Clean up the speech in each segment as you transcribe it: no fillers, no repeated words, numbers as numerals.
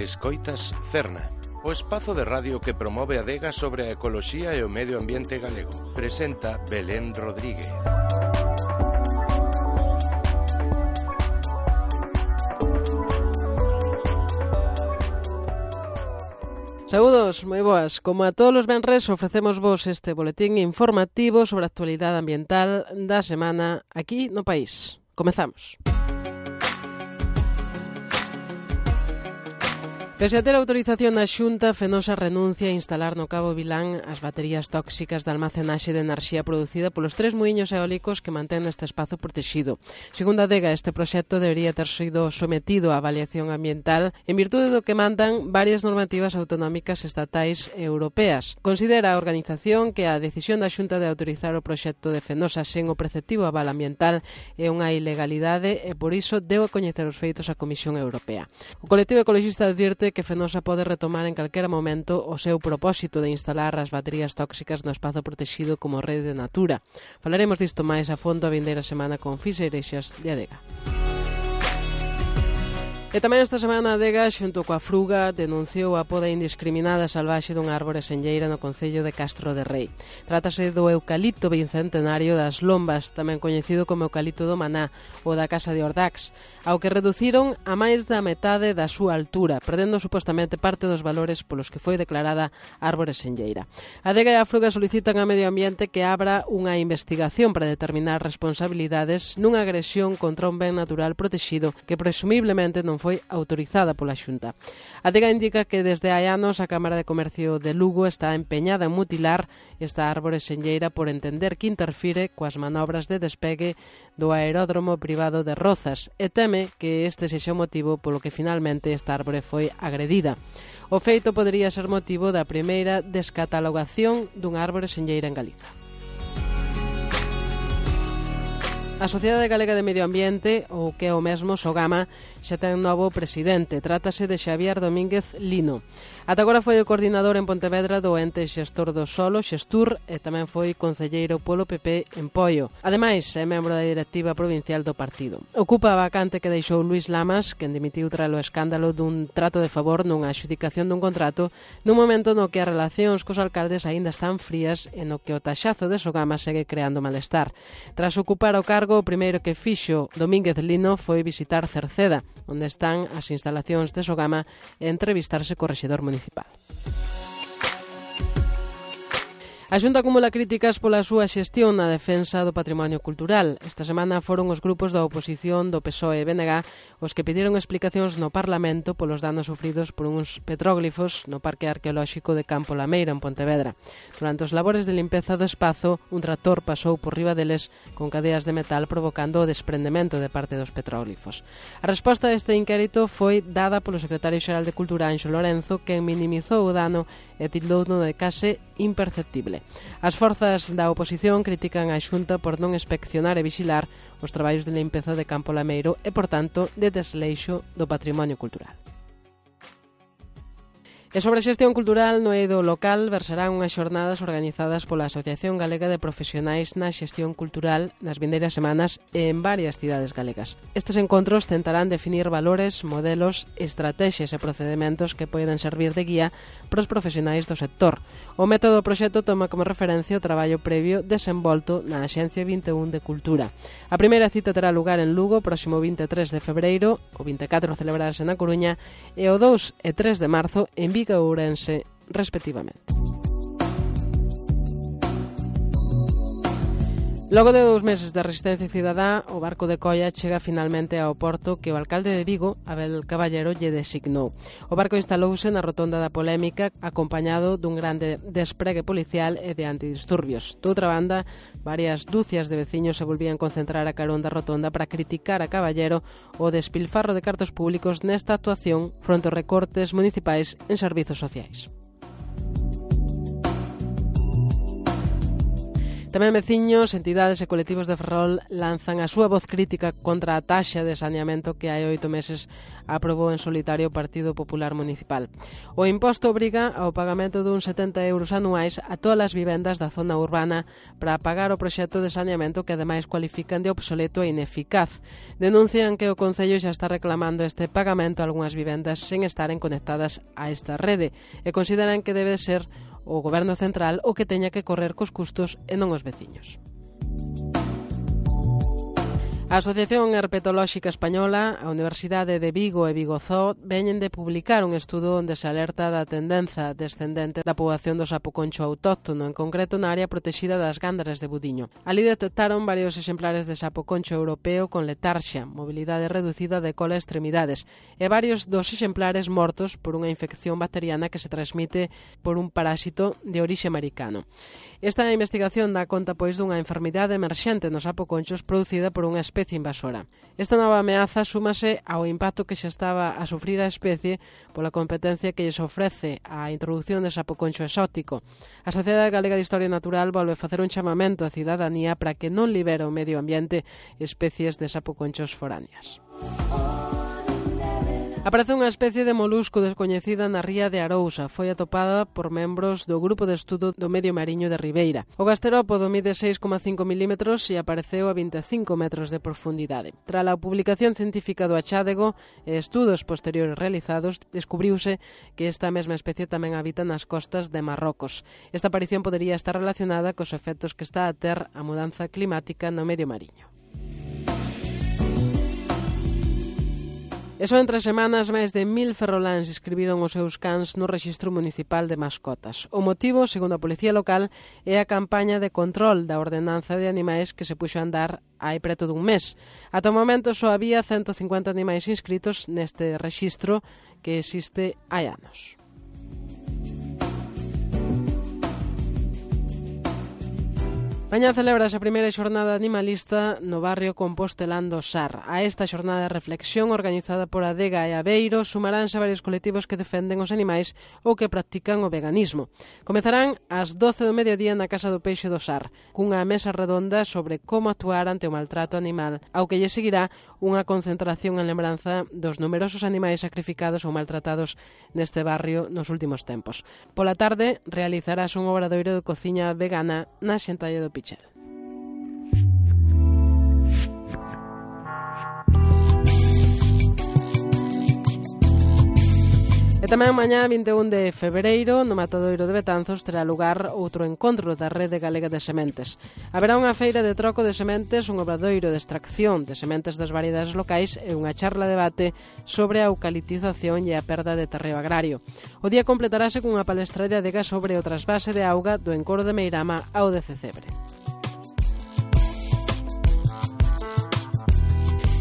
Escoitas Cerna, o espazo de radio que promove a adega sobre a ecoloxía e o medio ambiente galego. Presenta Belén Rodríguez. Saúdos, moi boas. Como a todos os venres, ofrecemos vos este boletín informativo sobre a actualidade ambiental da semana aquí no país. Comezamos. Pese a ter autorización da Xunta, Fenosa renuncia a instalar no Cabo Vilán as baterías tóxicas de almacenaxe de enerxía producida polos 3 muiños eólicos que mantén neste espazo protexido. Segundo a DEGA, este proxecto debería ter sido sometido a avaliación ambiental en virtude do que mandan varias normativas autonómicas estatais e europeas. Considera a organización que a decisión da Xunta de autorizar o proxecto de Fenosa sen o preceptivo aval ambiental é unha ilegalidade e por iso deu a coñecer os feitos a Comisión Europea. O colectivo ecologista advirte que Fenosa pode retomar en calquera momento o seu propósito de instalar as baterías tóxicas no espazo protexido como rede de Natura. Falaremos disto máis a fondo a vindeira semana con Fisa Ireixas de Adega. E tamén esta semana a Adega, xunto coa Fruga, denunciou a poda indiscriminada salvaxe dunha árbore senlleira no concello de Castro de Rei. Trátase do eucalipto bicentenario das Lombas, tamén coñecido como eucalipto do Maná ou da Casa de Ordax, ao que reduciron a máis da metade da súa altura, perdendo supostamente parte dos valores polos que foi declarada árbore senlleira. A Adega e a Fruga solicitan a Medio Ambiente que abra unha investigación para determinar responsabilidades nunha agresión contra un ben natural protexido que presumiblemente non foi autorizada pola Xunta. A DEGA indica que desde hai anos a Cámara de Comercio de Lugo está empeñada en mutilar esta árbore senlleira por entender que interfire coas manobras de despegue do aeródromo privado de Rozas e teme que este sexa o motivo polo que finalmente esta árbore foi agredida. O feito podería ser motivo da primeira descatalogación dunha árbore senlleira en Galiza. A Sociedade Galega de Medio Ambiente, ou que é o mesmo Sogama, xa ten novo presidente. Trátase de Xavier Domínguez Lino. Ata agora foi o coordinador en Pontevedra do ente xestor do solo, Xestur, e tamén foi concelleiro polo PP en Poio. Ademais, é membro da directiva provincial do partido. Ocupa a vacante que deixou Luís Lamas, quen dimitiu tras o escándalo dun trato de favor nunha adxudicación dun contrato, nun momento no que as relacións cos alcaldes aínda están frías e no que o taxazo de Sogama segue creando malestar. Tras ocupar o cargo, o primeiro que fixo Domínguez Lino foi visitar Cerceda, onde están as instalacións de Sogama, e entrevistarse co rexedor municipal. A Xunta acumula críticas pola súa xestión na defensa do patrimonio cultural. Esta semana foron os grupos da oposición do PSOE e BNG os que pediron explicacións no Parlamento polos danos sufridos por uns petróglifos no Parque Arqueolóxico de Campo Lameira, en Pontevedra. Durante os labores de limpeza do espazo, un tractor pasou por riba deles con cadeas de metal provocando o desprendemento de parte dos petróglifos. A resposta a este inquérito foi dada polo secretario xeral de Cultura, Anxo Lorenzo, que minimizou o dano e tildouno de case imperceptible. As forzas da oposición critican a Xunta por non inspeccionar e vixilar os traballos de limpeza de Campo Lameiro e, por tanto, de desleixo do patrimonio cultural. E sobre a xestión cultural no eido local versarán unhas xornadas organizadas pola Asociación Galega de Profesionais na Xestión Cultural nas vindeiras semanas en varias cidades galegas. Estes encontros tentarán definir valores, modelos, estrategias e procedementos que poden servir de guía para os profesionais do sector. O método do proxecto toma como referencia o traballo previo desenvolto na Axencia 21 de Cultura. A primeira cita terá lugar en Lugo o próximo 23 de febreiro, o 24 celebrarase na Coruña e o 2 e 3 de marzo en Vigo e Ourense, respectivamente. Logo de 2 meses de resistencia cidadá, o barco de Coia chega finalmente ao porto que o alcalde de Vigo, Abel Caballero, lle designou. O barco instalouse na rotonda da polémica, acompañado dun grande despregue policial e de antidisturbios. Doutra banda, varias dúcias de veciños se volvían concentrar a carón da rotonda para criticar a Caballero o despilfarro de cartos públicos nesta actuación fronte aos recortes municipais en servizos sociais. Tamén veciños, entidades e colectivos de Ferrol lanzan a súa voz crítica contra a taxa de saneamento que hai 8 meses aprobou en solitario o Partido Popular Municipal. O imposto obriga ao pagamento duns 70 euros anuais a todas as vivendas da zona urbana para pagar o proxecto de saneamento que ademais cualifican de obsoleto e ineficaz. Denuncian que o Concello xa está reclamando este pagamento a algunhas vivendas sen estaren conectadas a esta rede e consideran que debe ser o Goberno Central o que teña que correr cos custos e non os veciños. A Asociación Herpetolóxica Española, a Universidade de Vigo e Vigozó veñen de publicar un estudo onde se alerta da tendenza descendente da poboación do sapo concho autóctono, en concreto na área protexida das Gándaras de Budiño. Ali detectaron varios exemplares de sapo concho europeo con letarxia, mobilidade reducida de cola e extremidades, e varios dos exemplares mortos por unha infección bacteriana que se transmite por un parásito de orixe americano. Esta investigación dá conta pois dunha enfermidade emerxente nos sapo conchos producida por unha especie invasora. Esta nova ameaza súmase ao impacto que xa estaba a sufrir a especie pola competencia que lles ofrece a introducción de sapo concho exótico. A Sociedade Galega de Historia Natural volve facer un chamamento á cidadanía para que non libere o medio ambiente especies de sapo conchos foráneas. Aparece unha especie de molusco descoñecida na ría de Arousa. Foi atopada por membros do Grupo de Estudo do Medio Mariño de Ribeira. O gasterópodo mide 6,5 milímetros e apareceu a 25 metros de profundidade. Tras a publicación científica do achádego e estudos posteriores realizados, descubriuse que esta mesma especie tamén habita nas costas de Marrocos. Esta aparición podería estar relacionada cos efectos que está a ter a mudanza climática no medio mariño. E só en 3 semanas máis de 1000 ferroláns inscribiron os seus cans no Rexistro Municipal de Mascotas. O motivo, segundo a Policía Local, é a campaña de control da ordenanza de animais que se puxo a andar hai preto dun mes. Ata o momento só había 150 animais inscritos neste rexistro que existe hai anos. Mañá celebrase a primeira xornada animalista no barrio compostelán do Sar. A esta xornada de reflexión organizada por Adega e Aveiro sumaránse varios colectivos que defenden os animais ou que practican o veganismo. Comezarán ás 12 do mediodía na Casa do Peixe do Sar, cunha mesa redonda sobre como actuar ante o maltrato animal, ao que lle seguirá unha concentración en lembranza dos numerosos animais sacrificados ou maltratados neste barrio nos últimos tempos. Pola tarde realizarás un obradoiro de cociña vegana na Xentalle do Pichel. E tamén mañá, 21 de febreiro, no Matadoiro de Betanzos, terá lugar outro encontro da Rede Galega de Sementes. Haberá unha feira de troco de sementes, un obradoiro de extracción de sementes das variedades locais e unha charla debate sobre a eucaliptización e a perda de terreo agrario. O día completarase cunha palestra de Adega sobre o trasvase de auga do encoro de Meirama ao de Cecebre.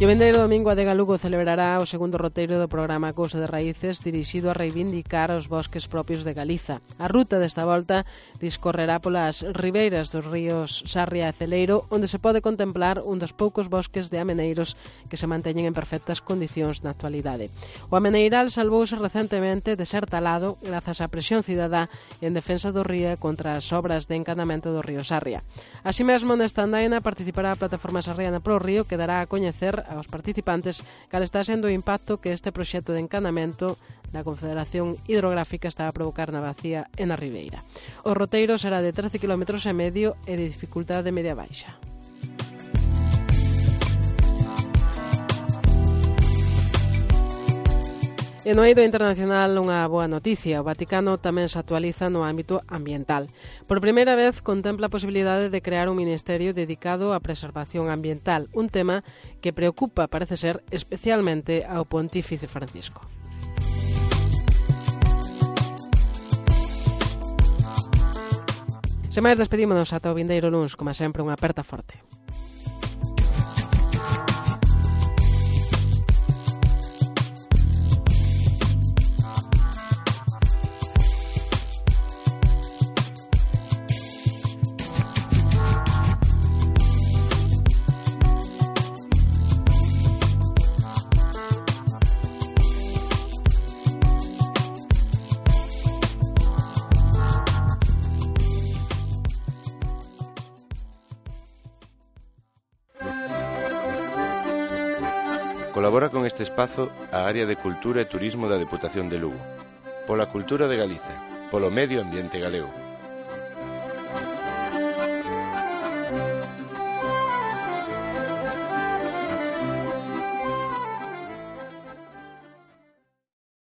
E o vindeiro domingo Adega Lugo celebrará o segundo roteiro do programa Cousa de Raíces dirixido a reivindicar os bosques propios de Galiza. A ruta desta volta discorrerá polas ribeiras dos ríos Sarria e Celeiro, onde se pode contemplar un dos poucos bosques de ameneiros que se manteñen en perfectas condicións na actualidade. O ameneiral salvouse recentemente de ser talado grazas á presión cidadá en defensa do río contra as obras de encanamento do río Sarria. Así mesmo, nesta andaina participará a Plataforma Sarriana pro Río, que dará a coñecer aos participantes cal está sendo o impacto que este proxecto de encanamento da Confederación Hidrográfica está a provocar na bacía e na ribeira. O roteiro será de 13,5 km e de dificultade media baixa. E no eido internacional unha boa noticia. O Vaticano tamén se actualiza no ámbito ambiental. Por primeira vez contempla a posibilidade de crear un ministerio dedicado á preservación ambiental, un tema que preocupa, parece ser, especialmente ao Pontífice Francisco. Sen máis, despedímonos ata o vindeiro luns, como sempre, unha aperta forte. Participa con este espazo a área de Cultura e Turismo da Deputación de Lugo. Pola cultura de Galicia, polo medio ambiente galego.